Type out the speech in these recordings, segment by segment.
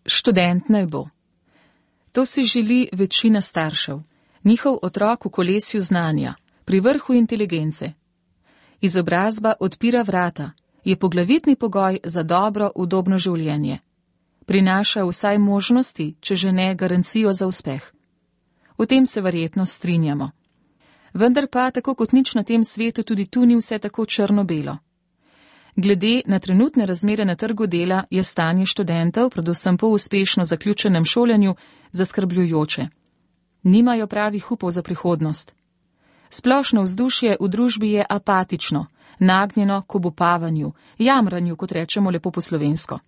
Študent naj bo. To si želi večina staršev, njihov otrok v kolesju znanja, pri vrhu inteligence. Izobrazba odpira vrata, je poglavitni pogoj za dobro, udobno življenje. Prinaša vsaj možnosti, če že ne garancijo za uspeh. O tem se verjetno strinjamo. Vendar pa, tako kot nič na tem svetu, tudi tu ni vse tako črno-belo. Glede na trenutne razmere na trgu dela je stanje študentov, predvsem po uspešno zaključenem šolanju, zaskrbljujoče. Nimajo pravih upov za prihodnost. Splošno vzdušje v družbi je apatično, nagnjeno k obupavanju, jamranju, kot rečemo lepo po slovensko.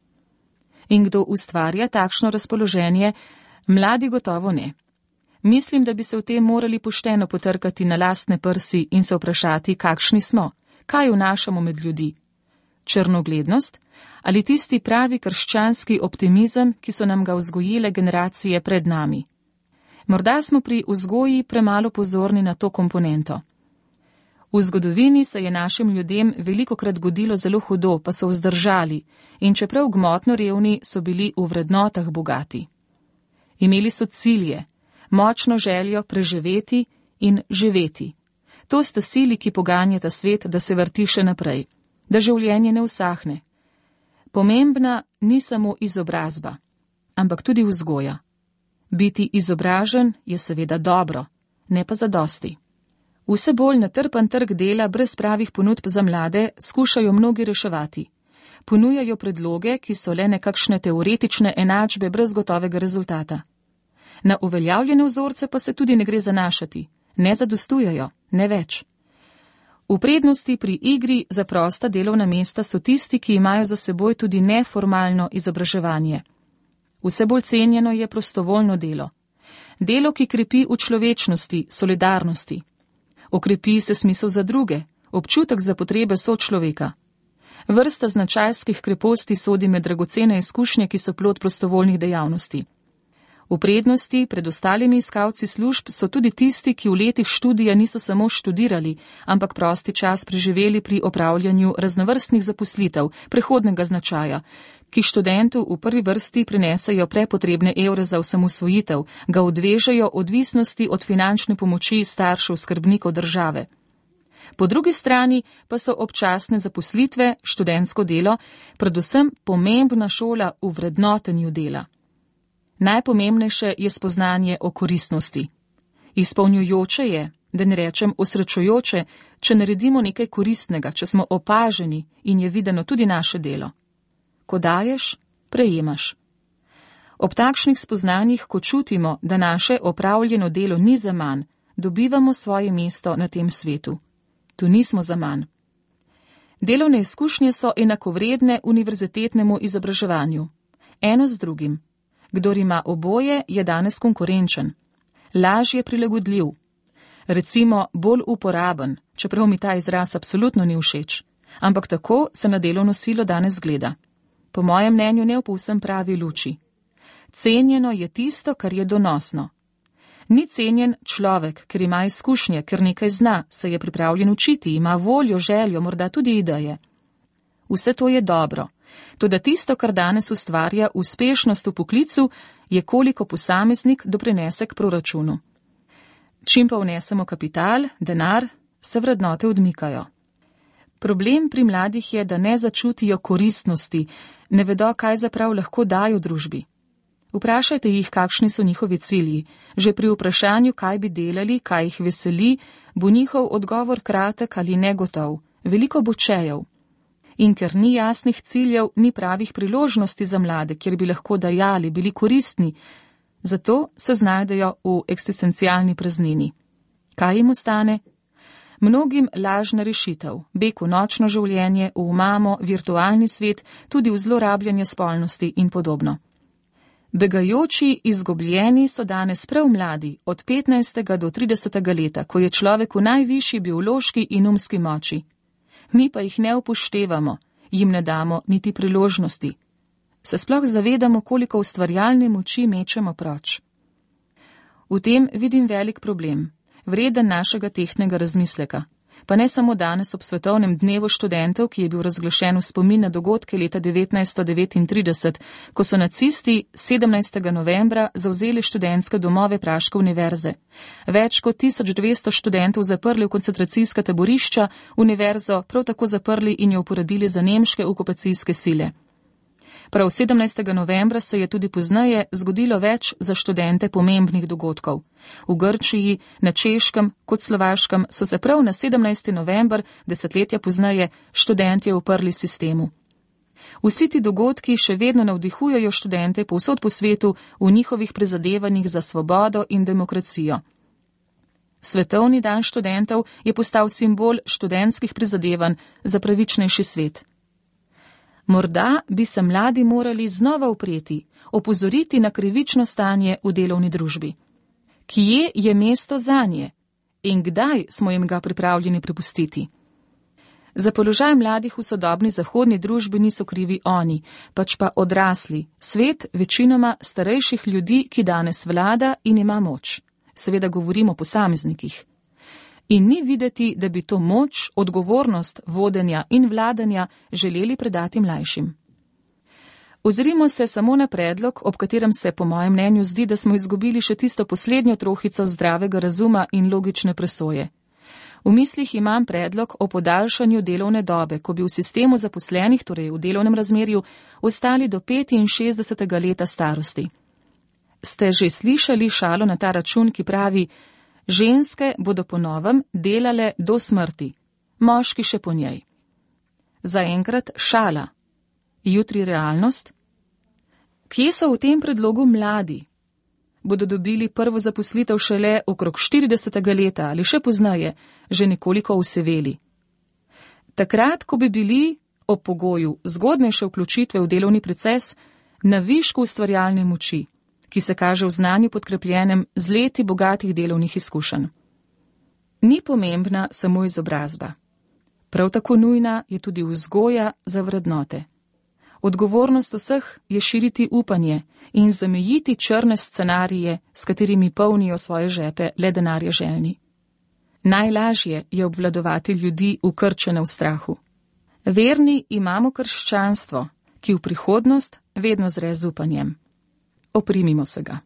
In kdo ustvarja takšno razpoloženje? Mladi gotovo ne. Mislim, da bi se v tem morali pošteno potrkati na lastne prsi in se vprašati, kakšni smo, kaj vnašamo med ljudi. Črnoglednost ali tisti pravi krščanski optimizem, ki so nam ga vzgojile generacije pred nami. Morda smo pri vzgoji premalo pozorni na to komponento. V zgodovini se je našim ljudem velikokrat godilo zelo hudo, pa so vzdržali in čeprav gmotno revni, so bili v vrednotah bogati. Imeli so cilje, močno željo preživeti in živeti. To sta sili, ki poganjata svet, da se vrti še naprej, da življenje ne usahne. Pomembna ni samo izobrazba, ampak tudi vzgoja. Biti izobražen je seveda dobro, ne pa zadosti. Vse bolj natrpan trg dela brez pravih ponudb za mlade skušajo mnogi reševati. Ponujajo predloge, ki so le nekakšne teoretične enačbe brez gotovega rezultata. Na uveljavljene vzorce pa se tudi ne gre zanašati, ne zadostujejo, ne več. V prednosti pri igri za prosta delovna mesta so tisti, ki imajo za seboj tudi neformalno izobraževanje. Vse bolj cenjeno je prostovoljno delo. Delo, ki krepi v človečnosti, solidarnosti. Okrepi se smisel za druge, občutek za potrebe sočloveka. Vrsta značajskih kreposti sodi med dragocene izkušnje, ki so plod prostovoljnih dejavnosti. V prednosti pred ostalimi iskalci služb so tudi tisti, ki v letih študija niso samo študirali, ampak prosti čas preživeli pri opravljanju raznovrstnih zaposlitev, prehodnega značaja, ki študentu v prvi vrsti prinesejo prepotrebne evre za osamosvojitev, ga odvežejo odvisnosti od finančne pomoči staršev skrbnikov države. Po drugi strani pa so občasne zaposlitve, študentsko delo, predvsem pomembna šola v vrednotenju dela. Najpomembnejše je spoznanje o koristnosti. Izpolnjujoče je, da ne rečem osrečujoče, če naredimo nekaj koristnega, če smo opaženi in je videno tudi naše delo. Ko daješ, prejemaš. Ob takšnih spoznanjih, ko čutimo, da naše opravljeno delo ni zaman, dobivamo svoje mesto na tem svetu. Tu nismo zaman. Delovne izkušnje so enakovredne univerzitetnemu izobraževanju. Eno z drugim. Kdor ima oboje, je danes konkurenčen. Lažje prilagodljiv. Recimo bolj uporaben, čeprav mi ta izraz absolutno ni všeč. Ampak tako se na delovno silo danes gleda. Po mojem mnenju ne v povsem pravi luči. Cenjeno je tisto, kar je donosno. Ni cenjen človek, ker ima izkušnje, ker nekaj zna, se je pripravljen učiti, ima voljo, željo, morda tudi ideje. Vse to je dobro. Toda tisto, kar danes ustvarja uspešnost v poklicu, je koliko posameznik doprinese k proračunu. Čim pa vnesemo kapital, denar, se vrednote odmikajo. Problem pri mladih je, da ne začutijo koristnosti, ne vedo, kaj zaprav lahko dajo družbi. Vprašajte jih, kakšni so njihovi cilji. Že pri vprašanju, kaj bi delali, kaj jih veseli, bo njihov odgovor kratek ali negotov. Veliko bo čejev. In ker ni jasnih ciljev, ni pravih priložnosti za mlade, kjer bi lahko dajali, bili koristni, zato se znajdejo v eksistencialni praznini. Kaj jim ostane? Mnogim lažna rešitev, beg v nočno življenje, v mamo, virtualni svet, tudi v zlorabljanje spolnosti in podobno. Begajoči, izgubljeni so danes prav mladi, od 15. do 30. leta, ko je človek v najvišji biološki in umski moči. Mi pa jih ne upoštevamo, jim ne damo niti priložnosti. Se sploh zavedamo, koliko ustvarjalne moči mečemo proč. V tem vidim velik problem, vreden našega tehtnega razmisleka. Pa ne samo danes ob svetovnem dnevu študentov, ki je bil razglašen v spomin na dogodke leta 1939, ko so nacisti 17. novembra zavzeli študentske domove praške univerze. Več kot 1200 študentov zaprli v koncentracijska taborišča, univerzo prav tako zaprli in jo uporabili za nemške okupacijske sile. Prav 17. novembra se je tudi pozneje zgodilo več za študente pomembnih dogodkov. V Grčiji, na Češkem kot Slovaškem so se prav na 17. november, desetletja pozneje, študentje uprli sistemu. Vsi ti dogodki še vedno navdihujejo študente povsod po svetu v njihovih prizadevanjih za svobodo in demokracijo. Svetovni dan študentov je postal simbol študentskih prizadevanj za pravičnejši svet. Morda bi se mladi morali znova upreti, opozoriti na krivično stanje v delovni družbi. Kje je mesto zanje in kdaj smo jim ga pripravljeni prepustiti? Za položaj mladih v sodobni zahodni družbi niso krivi oni, pač pa odrasli, svet večinoma starejših ljudi, ki danes vlada in ima moč. Seveda govorimo o posameznikih. In ni videti, da bi to moč, odgovornost vodenja in vladanja želeli predati mlajšim. Ozrimo se samo na predlog, ob katerem se po mojem mnenju zdi, da smo izgubili še tisto poslednjo trohico zdravega razuma in logične presoje. V mislih imam predlog o podaljšanju delovne dobe, ko bi v sistemu zaposlenih, torej v delovnem razmerju, ostali do 65. leta starosti. Ste že slišali šalo na ta račun, ki pravi: ženske bodo po novem delale do smrti, moški še po njej. Zaenkrat šala, jutri realnost. Kje so v tem predlogu mladi? Bodo dobili prvo zaposlitev šele okrog 40. leta ali še poznaje, že nekoliko useveli. Takrat, ko bi bili ob pogoju zgodnejše vključitve v delovni proces na višku ustvarjalne moči, ki se kaže v znanju podkrepljenem z leti bogatih delovnih izkušenj. Ni pomembna samo izobrazba. Prav tako nujna je tudi vzgoja za vrednote. Odgovornost vseh je širiti upanje in zamejiti črne scenarije, s katerimi polnijo svoje žepe le denarja željni. Najlažje je obvladovati ljudi ukrčene v strahu. Verni imamo krščanstvo, ki v prihodnost vedno zre z upanjem. Oprimimo se ga.